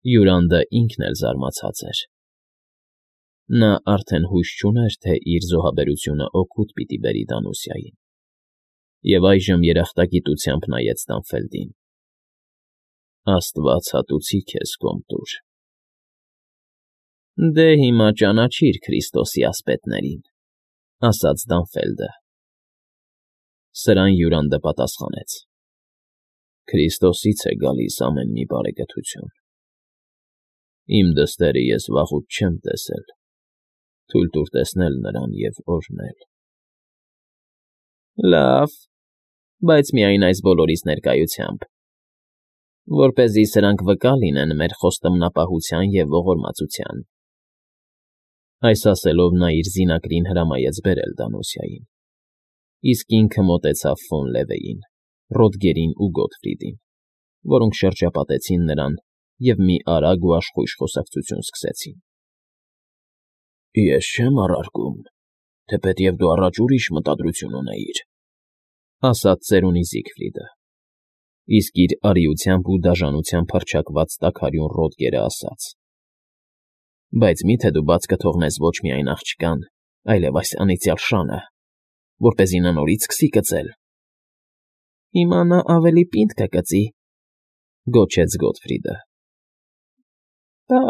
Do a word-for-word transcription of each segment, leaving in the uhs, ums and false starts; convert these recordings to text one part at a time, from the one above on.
Յուրանդը ինքն էլ զարմացած էր. նա արդեն հույս չուներ, թե իր զոհաբերությունը օգուտ պիտի բերի Դանուսիային, և այժմ երախտագիտությամբ նայեց Դանֆելդին։ ֊ Աստված հատուցի քեզ, Կոմտուր։ ֊ Դե հիմա ճանաչիր Քրիստոսի ասպետներին, ֊ ասաց Դանֆելդը։ Սրան Յուրանդը պատասխանեց. ֊ Քրիստոսից է գալիս ամեն մի բարեգթություն։ Իմ դստերը ես վաղուց չեմ տեսել, թույլ տուր տեսնել նրան և օրհնել։ ֊ Լավ, բայց միայն այս բոլորիս ներկայությամբ, որպեսզի սրանք վկա լինեն մեր խոստումնապահության և ողորմածության։ Այս ասելով նա իր զինակրին հրամայեց բերել Դանուսիային, իսկ ինքը մոտեցավ ֆոն Լևեին, Ռոդգերին ու Գոտֆրիդին, որոնք շրջապատեցին նրան և մի արագ ու աշխույժ խոսակցություն սկսեցին։ ֊ Ես չեմ առարկում, թեպետև դու առաջ ուրիշ մտադրություն ունեիր, ֊ ասաց ծերունի Զիգֆրիդը, իսկ իր արիությամբ ու դաժանությամբ հռչակված տաքարյուն Ռոդգերը ասաց. ֊ Բայց մի՞թե դու բաց կթողնես ոչ միայն աղջկան, այլև այս անիծյալ շանը, որպեսզի նա նորից սկսի կծել։ ֊ Հիմա նա ավելի պինդ կկծի, ֊ գոչեց Գոտֆրիդը։ ֊ Պա՜,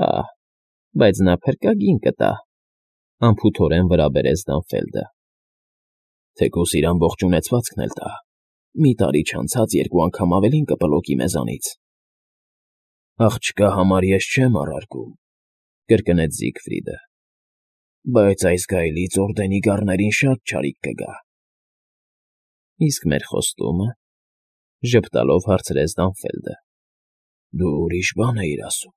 բայց նա փրկագին կտա, ֊ անփութորեն վրա բերեց Դանֆելդը։ ֊ Թեկուզ իր ամբողջ ունեցվածքն էլ տա, մի տարի չանցած երկու անգամ ավելին կպլոկի մեզանից։ ֊ Աղջկա համար ես չեմ առարկում, ֊ կրկնեց Զիգֆրիդը, ֊ բայց այս գայլից օրդենի գառներին շատ չարիք կգա։ ֊ Իսկ մեր խոստո՞ւմը, ֊ ժպտալով հարցրեց Դանֆելդը։ ֊ Դու ուրիշ բան էիր ասում։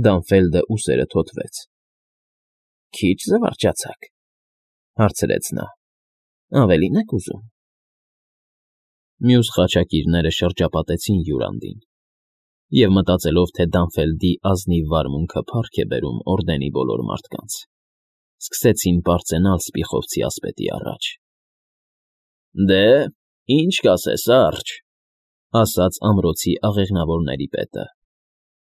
Դանֆելդը ուսերը թոթվեց։ ֊ Քիչ զվարճացաք, ֊ հարցրեց նա, ֊ ավելի՞ն եք ուզում։ Մյուս խաչակիրները շրջապատեցին Յուրանդին և, մտածելով, թե Դանֆելդի ազնիվ վարմունքը փառք է բերում օրդենի բոլոր մարդկանց, սկսեցին պարծենալ սպիխովցի ասպետի առաջ։ ֊ Դե, ի՞նչ կասես, արջ, ֊ ասաց ամրոցի աղեղնավորների պետը։ ֊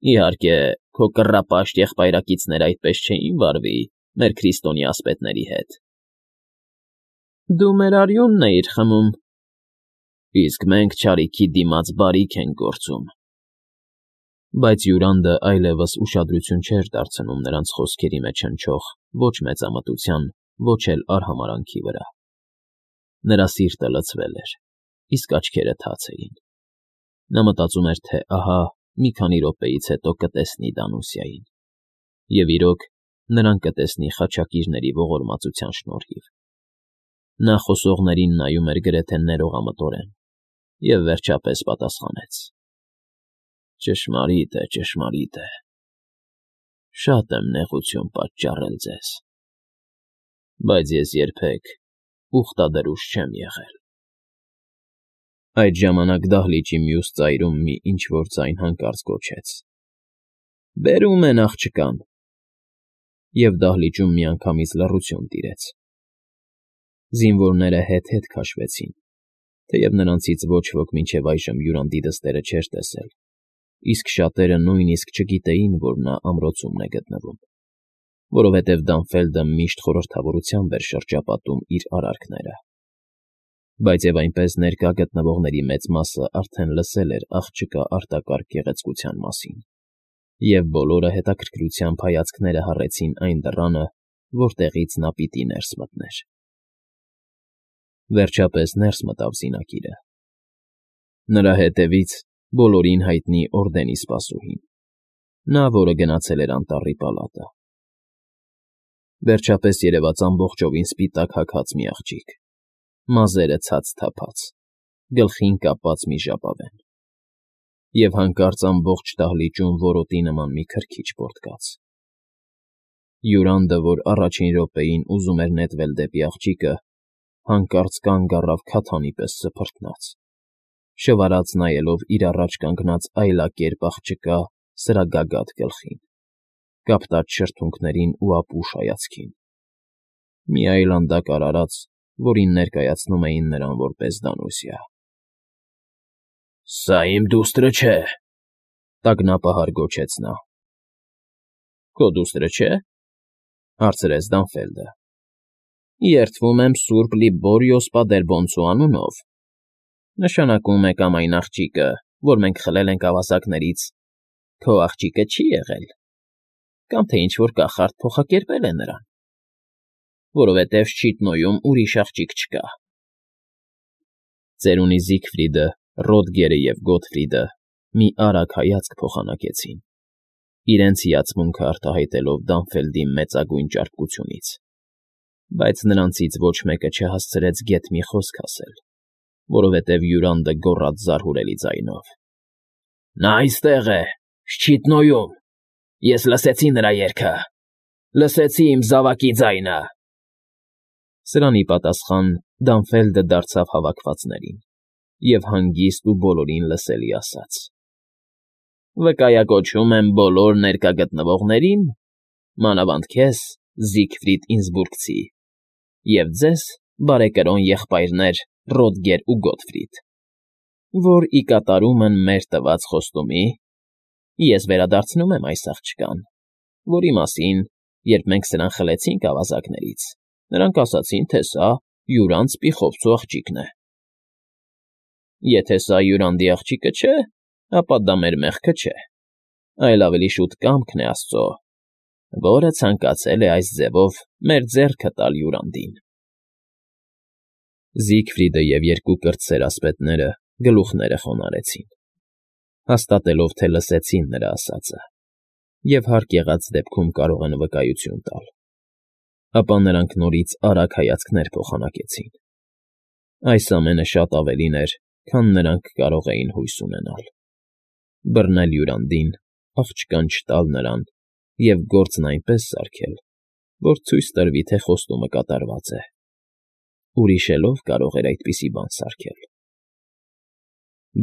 Իհարկե, քո կռապաշտ եղբայրակիցները այդպես չէին վարվի մեր քրիստոնյա ասպետների հետ։ ֊ Դու մեր արյունն էիր խմում, ֊ Իսկ մենք չարիքի դիմաց բարիք ենք գործում։ Բայց Յուրանդը այլևս ուշադրություն չէր դարձնում նրանց խոսքերի մեջ հնչող ոչ մեծամտության, ոչ էլ արհամարհանքի վրա։ Նրա սիրտը լցվել էր, իսկ աչքերը թաց էին։ Նա մտածում էր, թե ահա մի քանի րոպեից հետո կտեսնի Դանուսիային, և իրոք, նրան կտեսնի խաչակիրների ողորմածության շնորհիվ։ Նա խոսողներին նայում էր գրեթե ներողամտորեն և, վերջապես, պատասխանեց. ֊ Ճշմարիտ է, ճշմարիտ է, շատ եմ նեղություն պատճառել ձեզ, բայց ես երբեք ուխտադրուժ չեմ եղել։ Այդ ժամանակ դահլիճի մյուս ծայրում մի ինչ֊որ ձայն հանկարծ գոչեց. ֊ Բերում են աղջկան։ Եվ դահլիճում միանգամից լռություն տիրեց։ Զինվորները հետ֊հետ քաշվեցին, թեև նրանցից ոչ ոք մինչև այժմ Յուրանդի դստերը չէր տեսել, իսկ շատերը նույնիսկ չգիտեին, որ նա ամրոցումն է գտնվում, որովհետև Դանֆելդը միշտ խորհրդավորությամբ էր շրջապատում իր արարքները։ Բայց և այնպես ներկա գտնվողների մեծ մասը արդեն լսել էր աղջկա արտակարգ գեղեցկության մասին, և բոլորը հետաքրքրությամբ հայացքները հառեցին այն դռանը, որտեղից նա պիտի ներս մտներ։ Վերջապես ներս մտավ զինակիրը։ Նրա հետևից բոլորին հայտնի օրդենի սպասուհին, նա, որը գնացել էր անտառի պալատը։ Վերջապես երևաց ամբողջովին սպիտակ հագած մի աղջիկ, մազերը ցած թափած, գլխին կապած մի ժապավեն, և հանկարծ ամբողջ դահլիճում որոտի նման մի քրքիջ պոռթկաց։ Յուրանդը, որ առաջին րոպեին ուզում էր նետվել դեպի աղջիկը, հանկարծ կանգ առավ քաթանի պես սփռթնած, շվարած նայելով իր առաջ կանգնած այլակերպ աղջկա սրագագաթ գլխին, կապտած շրթունքներին ու ապուշ հայացքին։ Մի այլանդակ արարած, որին ներկայացնում էին նրան որպես Դանուսիա։ ֊ Սա իմ դուստրը չէ, Տագնապահար գոչեց նա։ ֊ Քո դուստրը չէ՞, հարցրեց Դանֆելդը։ ֊ Երդվում եմ սուրբ Լիբորիո Սպադերբոնցու անունով, նշանակում է կամ այն աղջիկը, որ մենք խլել ենք ավազակներից, քո աղջիկը չի եղել, կամ թե ինչ֊որ կախարդ փոխակերպել է նրան, որովհետև Շչիտնոյում ուրիշ աղջիկ չկա։ Ծերունի Զիգֆրիդը, Ռոդգերը և Գոտֆրիդը մի արագ հայացք փոխանակեցին, իրենց հիացմունքը արտահայտելով Դանֆելդի մեծագույն ճարպկությունից, բայց նրանցից ոչ մեկը չհասցրեց գեթ մի խոսք ասել, որովհետև հյուրանդը գոռաց զարհուրելի ձայնով. ֊ Նա այստեղ է, Շչիտնոյում, ես լսեցի նրա երգը, լսեցի իմ զավակի ձայնը… Սրանի պատասխան Դանֆելդը դարձավ հավաքվածներին և հանգիստ ու բոլորին լսելի ասաց. ֊ Վկայակոչում եմ բոլոր ներկա գտնվողներին, մանավանդ քեզ, Զիգֆրիդ Ինսբուրգցի, և ձեզ, բարեկրոն եղբայրներ Ռոդգեր ու Գոտֆրիդ, որ ի կատարումն մեր տված խոստումի ես վերադարձնում եմ այս աղջկան, որի մասին, երբ մենք սրան խլեցինք ավազակներից, նրանք ասացին, թե սա հյուրանց պիխովցու աղջիկն է։ Եթե սա հյուրանդի աղջիկը չէ, ապա դա մեր մեղքը չէ, այլ ավելի շուտ կամքն է Աստծո, որը ցանկացել է այս ձևով մեր ձեռքը տալ հյուրանդին… Զիգֆրիդը և երկու կրտսեր ասպետները գլուխները խոնարհեցին, հաստատելով, թե լսեցին նրա ասածը և հարկ եղած դեպքում կարող են վկայություն տալ, ապա նրանք նորից արագ հայացքներ փոխանակեցին. այս ամենը շատ ավելին էր, քան նրանք կարող էին հույս ունենալ. բռնել հյուրանդին, աղջկան չտալ նրան և գործն այնպես սարքել, որ ցույց տրվի, թե խոստումը կատարված է. ուրիշ էլ ո՞վ կարող էր այդպիսի բան սարքել…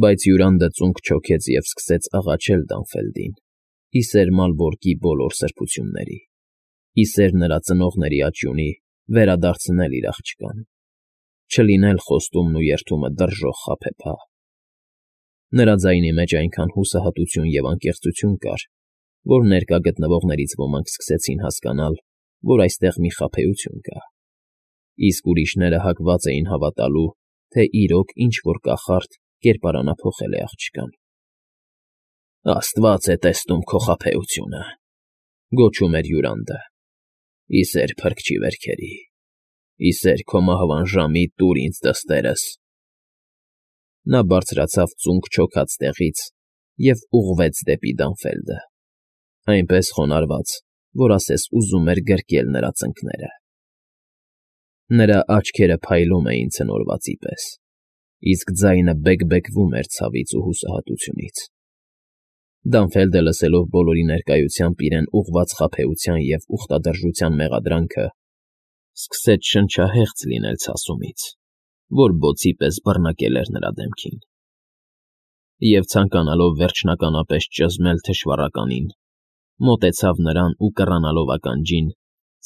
Բայց հյուրանդը ծունկ չոքեց և սկսեց աղաչել Դանֆելդին, ի սեր Մալբորկի բոլոր սրբությունների, ի սեր նրա ծնողների աճյունի, վերադարձնել իր աղջկան, չլինել խոստումն ու երդումը դրժող խաբեբա… Նրա ձայնի մեջ այնքան հուսահատություն և անկեղծություն կար, որ ներկա գտնվողներից ոմանք սկսեցին հասկանալ, որ այստեղ մի խաբեություն կա, իսկ ուրիշները հակված էին հավատալու, թե իրոք ինչ֊որ կախարդ կերպարանափոխել է աղջկան։ ֊ Աստված է տեսնում քո խաբեությունը,֊ գոչում էր հյուրանդը,֊ ի սեր Փրկչի վերքերի, ի սեր քո մահվան ժամի տուր ինձ դստերս… Նա բարձրացավ ծունկ չոքած տեղից և ուղղվեց դեպի Դանֆելդը, այնպես խոնարհված, որ ասես ուզում էր գրկել նրա ծնկները… Նրա աչքերը փայլում էին ցնորվածի պես, իսկ ձայնը բեկ֊բեկվում էր ցավից ու հուսահատությունից… Դանֆելդը, լսելով բոլորի ներկայությամբ իրեն ուղղված խաբեության և ուխտադրժության մեղադրանքը, սկսեց շնչահեղձ լինել ցասումից, որ բոցի պես բռնակել էր նրա դեմքին, և, ցանկանալով վերջնականապես ճզմել թշվառականին, մոտեցավ նրան ու կռանալով ականջին,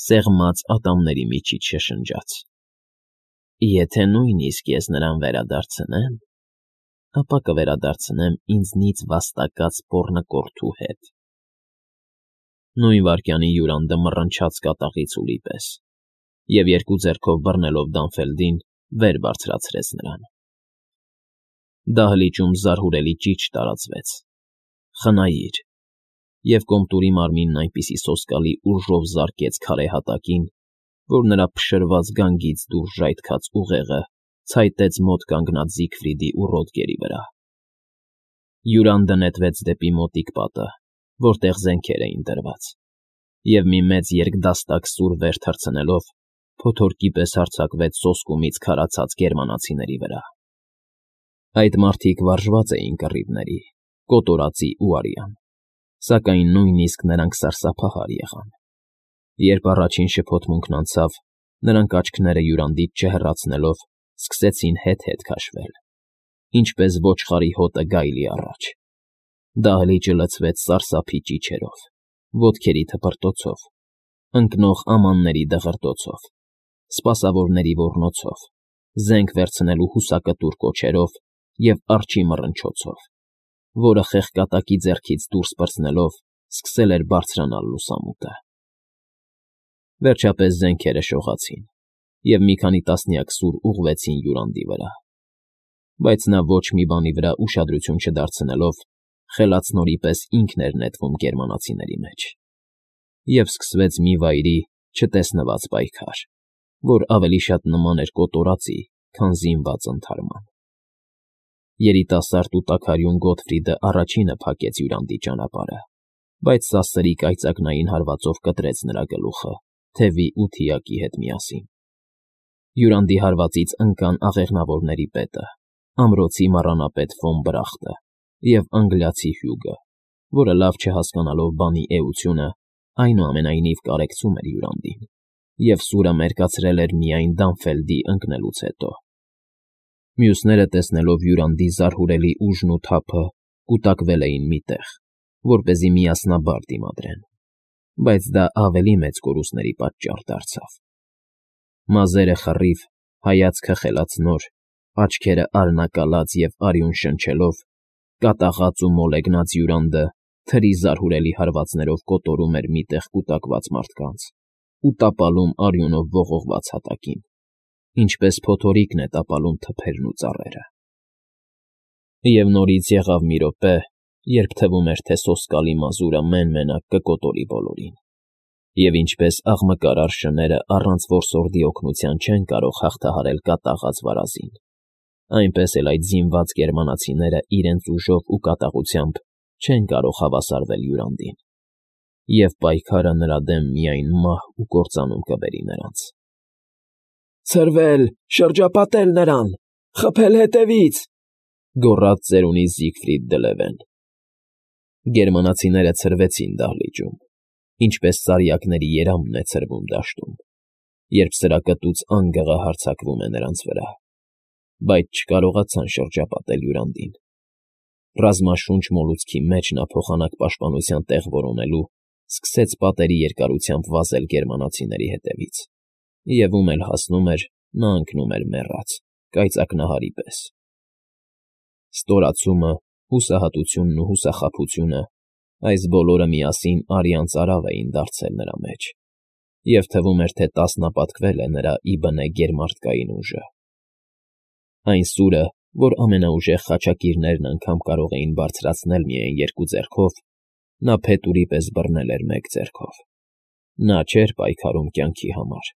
սեղմած ատամների միջից շշնջաց. ֊ Եթե նույնիսկ ես նրան վերադարձնեմ, ապա կվերադարձնեմ ինձնից վաստակած պոռնկորթու հետ… Նույն վայրկյանին հյուրանդը մռնչաց կատաղի ցուլի պես և, երկու ձեռքով բռնելով Դանֆելդին, վեր բարձրացրեց նրան… Դահլիճում զարհուրելի ճիչ տարածվեց. «Խնայիր», և կոմտուրի մարմինն այնպիսի սոսկալի ուժով զարկեց քարե հատակին, որ նրա փշրված գանգից դուրս ժայթքած ուղեղը ցայտեց մոտ կանգնած Զիգֆրիդի ու Ռոդգերի վրա… Հյուրանդը նետվեց դեպի մոտիկ պատը, որտեղ զենքեր էին դրված, և մի մեծ երկդաստակ սուր վեր թռցնելով, փոթորկի պես հարձակվեց սոսկումից քարացած գերմանացիների վրա… Այդ մարդիկ վարժված էին կռիվների, կոտորածի ու արյան, սակայն նույնիսկ նրանք սարսափահար եղան… Երբ առաջին շփոթմունքն անցավ, նրանք աչքները հյուրանդից չհեռացնելով սկսեցին հետ֊հետ քաշվել, ինչպես ոչխարի հոտը գայլի առաջ… Դահլիճը լցվեց սարսափի ճիչերով, ոտքերի թպրտոցով, ընկնող ամանների դղրդոցով, սպասավորների ոռնոցով, զենք վերցնելու հուսակտուր կոչերով և արջի մռնչոցով… որը խեղկատակի ձեռքից դուրս պրծնելով սկսել էր բարձրանալ լուսամուտը։ Վերջապես զենքերը շողացին, և մի քանի տասնյակ սուր ուղղվեցին Յուրանդի վրա, բայց նա ոչ մի բանի վրա ուշադրություն չդարձնելով խելացնորի պես ինքն էր նետվում գերմանացիների մեջ, և սկսվեց մի վայրի չտեսնված պայքար, որ ավելի շատ նման էր կոտորածի, քան զինված ընդհարման։ Երիտասարդ ու տաքարյուն Գոթֆրիդը առաջինը փակեց Յուրանդի ճանապարհը, բայց սաստիկ այծակնային հարվածով կտրեց նրա գլուխը թևի ու թիակի հետ միասին։ Յուրանդի հարվածից ընկան աղեղնավորների պետը, ամրոցի մառանապետ Ֆոն Բրախտը և անգլիացի Հյուգը, որը լավ չհասկանալով բանի էությունը, այնուամենայնիվ կարեկցում էր Յուրանդին, և սուրը մերկացրել էր միայն Դանֆելդի ընկնելուց հետո։ Մյուսները, տեսնելով Յուրանդի զարհուրելի ուժն ու թափը, կուտակվել էին մի տեղ, որպեսզի միասնաբար դիմադրեն, բայց դա ավելի մեծ կորուստների պատճառ դարձավ։ Մազերը խռիվ, հայացքը խելացնոր, աչքերը արյունակալած և արյուն շնչելով, կատաղած ու մոլեգնած Յուրանդը թրի զարհուրելի հարվածներով կոտորում էր մի տեղ կուտակված մարդկանց ու տապալում արյունով ողողված հատակին, ինչպես փոթորիկն է տապալում թփերն ու ծառերը։ Եվ նորից եղավ մի րոպե, երբ թվում էր, թե սոսկալի մազուրը մեն֊մենակ կկոտորի բոլորին, և ինչպես աղմկարար շները առանց որսորդի օգնության չեն կարող հաղթահարել կատաղած վարազին, այնպես էլ այդ զինված գերմանացիները իրենց ուժով ու կատաղությամբ չեն կարող հավասարվել Յուրանդին, և պայքարը նրա դեմ միայն մահ ու կործանում կբերի նրանց։ «Ցրվել, շրջապատել նրան, խփել հետևից», գոռաց ծերունի Զիգֆրիդ դը Լևեն։ Գերմանացիները ցրվեցին դահլիճում, ինչպես սարյակների երամն է ցրվում դաշտում, երբ սրակտուց անգղը հարձակվում է նրանց վրա, բայց չկարողացան շրջապատել Յուրանդին։ Ռազմաշունչ մոլուցքի մեջ նա փոխանակ պաշտպանության տեղ որոնելու սկսեց պատերի երկարությամբ վազել գերմանացիների հետևից, և ում էլ հասնում էր, նա ընկնում էր մեռած, կայծակնահարի պես։ Ստորացումը, հուսահատությունն ու հուսախաբությունը, այս բոլորը միասին արյան ծարավ էին դարձել նրա մեջ, և թվում էր, թե տասնապատկվել է նրա ի բնե գերմարդկային ուժը։ Այն սուրը, որ ամենաուժեղ խաչակիրներն անգամ կարող էին բարձրացնել միայն երկու ձեռքով, նա փետուրի պես բռնել էր մեկ ձեռքով։ Նա չէր պայքարում կյանքի համար,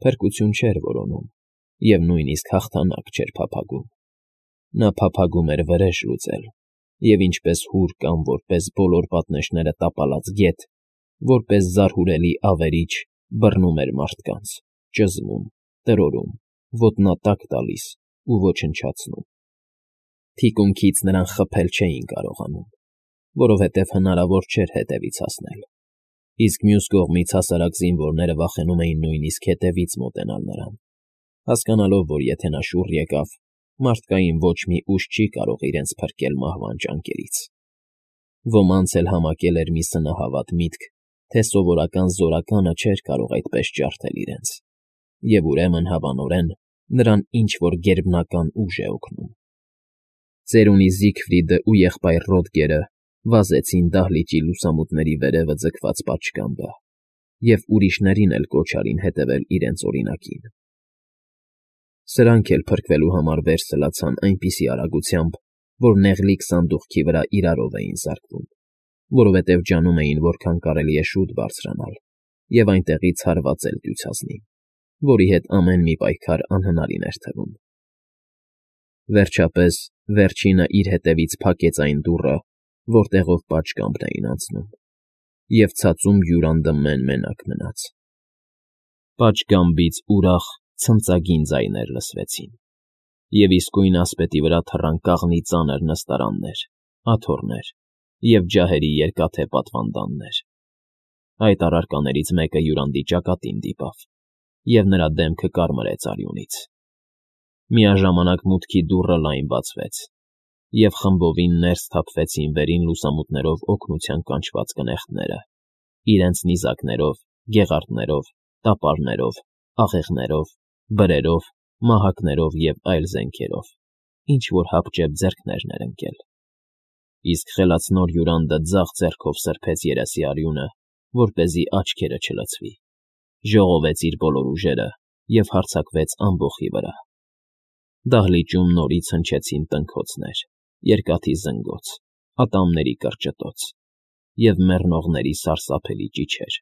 փրկություն չէր որոնում և նույնիսկ հաղթանակ չէր փափագում։ Նա փափագում էր վրեժ լուծել և ինչպես հուր կամ որպես բոլոր պատնեշները տապալած գետ, որպես զարհուրելի ավերիչ բռնում էր մարդկանց, ճզմում, տրորում, ոտնատակ տալիս ու ոչնչացնում։ Թիկունքից նրան խփել չէին կարողանում, որովհետև հնարավոր չէր հետևից հասնել, իսկ մյուս կողմից հասարակ զինվորները վախենում էին նույնիսկ հետևից մոտենալ նրան, հասկանալով, որ եթե նա շուռ եկավ, մարդկային ոչ մի ուժ չի կարող իրենց փրկել մահվան ճանկերից։ Ոմանց էլ համակել էր մի սնահավատ միտք, թե սովորական զորականը չէր կարող այդպես ջարդել իրենց, և ուրեմն, հավանորեն, նրան ինչ-որ գերբնական ուժ է օգնում։ Ծերունի Զիգֆրիդը ու եղբայր Ռոդգերը վազեցին դահլիճի լուսամուտների վերևը ձգված պատշգամբը և ուրիշներին էլ կոչ արին հետևել իրենց օրինակին։ Սրանք էլ փրկվելու համար վեր սլացան այնպիսի արագությամբ, որ նեղլիկ սանդուղքի վրա իրարով էին զարկվում, որովհետև ջանում էին, որքան կարելի է շուտ բարձրանալ և այնտեղից հարվածել դյուցազնին, որի հետ ամեն մի պայքար անհնարին էր թվում։ Վերջապես վերջինը իր հետևից փակեց այն դուռը, որտեղով պատշգամբն էին անցնում, և ցածում Յուրանդը մեն֊մենակ մնաց։ Պատշգամբից ուրախ, ցնծագին ձայներ լսվեցին, և իսկույն ասպետի վրա թռան կաղնի ծանր նստարաններ, աթոռներ և ջահերի երկաթե պատվանդաններ։ Այդ առարկաներից մեկը Յուրանդի ճակատին դիպավ, և նրա դեմքը կարմրեց արյունից։ Միաժամանակ մուտքի դուռը լայն բացվեց, և խմբովին ներս թափվեցին վերին լուսամուտներով օգնության կանչված կնեղտները, իրենց նիզակներով, գեղարդներով, տապարներով, աղեղներով, բրերով, մահակներով և այլ զենքերով, ինչ֊որ հապճեպ ձեռքներ էր ընկել։ Իսկ խելացնոր հյուրանդը ձախ ձեռքով սրբեց երեսի արյունը, որպեսզի աչքերը չլցվի, ժողովեց իր բոլոր ուժերը և հարձակվեց ամբոխի վրա. դահլիճում նորից հնչեցին տնքոցներ, երկաթի զնգոց, ատամների կրճտոց և մեռնողների սարսափելի ճիչեր։